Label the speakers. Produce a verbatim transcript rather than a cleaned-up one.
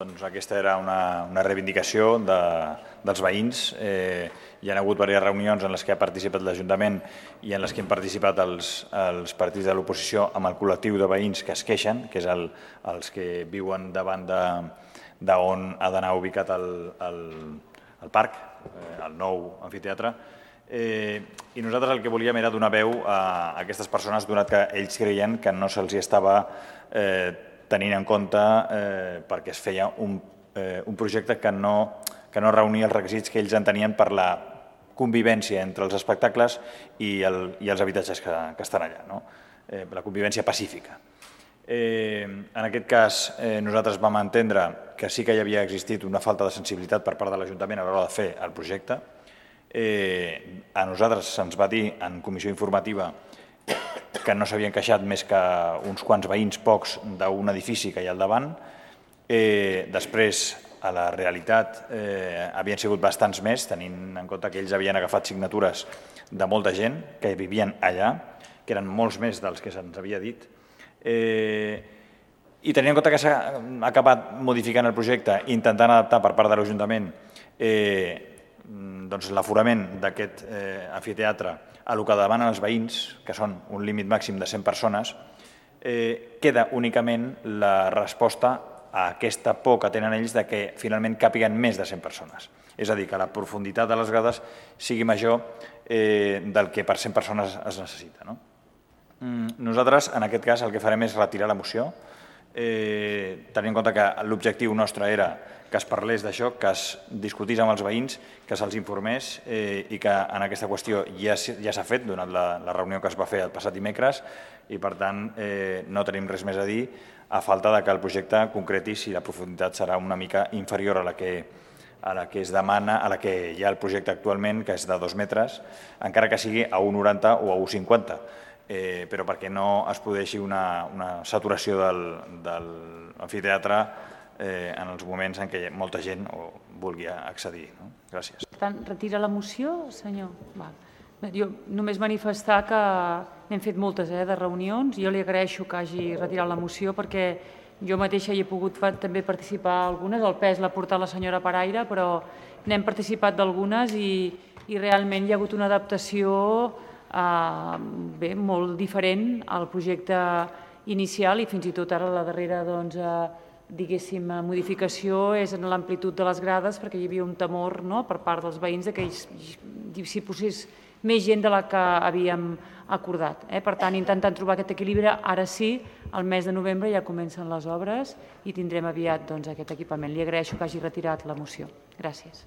Speaker 1: Doncs aquesta era una, una reivindicació de, dels veïns. Eh, hi ha hagut diverses reunions en les que ha participat l'Ajuntament i en les que han participat els, els partits de l'oposició amb el col·lectiu de veïns que es queixen, que és el, els que viuen davant d'on ha d'anar ubicat el, el, el parc, eh, el nou amfiteatre. Eh, I nosaltres el que volíem era donar veu a aquestes persones, donat que ells creien que no se'ls estava eh, tenint en compte eh, perquè es feia un, eh, un projecte que no, que no reunia els requisits que ells entenien per la convivència entre els espectacles i, el, i els habitatges que, que estan allà, no? eh, la convivència pacífica. Eh, en aquest cas, eh, nosaltres vam entendre que sí que hi havia existit una falta de sensibilitat per part de l'Ajuntament a l'hora de fer el projecte. Eh, a nosaltres se'ns va dir en comissió informativa que no s'havien queixat més que uns quants veïns pocs d'un edifici que hi ha al davant. Eh, després, a la realitat, eh, havien sigut bastants més, tenint en compte que ells havien agafat signatures de molta gent que vivien allà, que eren molts més dels que se'ns havia dit. Eh, I tenint en compte que s'ha acabat modificant el projecte, intentant adaptar per part de l'Ajuntament eh, doncs l'aforament d'aquest eh, amfiteatre a el que demanen els veïns, que són un límit màxim de cent persones, eh, queda únicament la resposta a aquesta por que tenen ells de que finalment càpiguen més de cent persones. És a dir, que la profunditat de les grades sigui major eh, del que per cent persones es necessita. No? Mm, nosaltres, en aquest cas, el que farem és retirar la moció, eh, tenint en compte que l'objectiu nostre era que es parlés d'això, que es discutís amb els veïns, que se'ls informés eh, i que en aquesta qüestió ja, ja s'ha fet durant la, la reunió que es va fer el passat dimecres i, per tant, eh, no tenim res més a dir a falta de que el projecte concreti si la profunditat serà una mica inferior a la que, a la que es demana, a la que hi ha el projecte actualment, que és de dos metres, encara que sigui a un noranta o a un cinquanta, eh, però perquè no es produeixi una, una saturació del, de l'amfiteatre Eh, en els moments en què molta gent vulgui accedir. No? Gràcies.
Speaker 2: Per tant, retira la moció, senyor? Val. Jo només manifestar que n'hem fet moltes eh, de reunions. Jo li agraeixo que hagi retirat la moció perquè jo mateixa hi he pogut també participar algunes. El pes l'ha portat la senyora Paraire, però n'hem participat d'algunes i, i realment hi ha hagut una adaptació eh, bé, molt diferent al projecte inicial i fins i tot ara la darrera doncs, eh, diguéssim, modificació és en l'amplitud de les grades perquè hi havia un temor no, per part dels veïns que s'hi posés més gent de la que havíem acordat. Eh? Per tant, intentant trobar aquest equilibri, ara sí, al mes de novembre ja comencen les obres i tindrem aviat doncs, aquest equipament. Li agraeixo que hagi retirat la moció. Gràcies.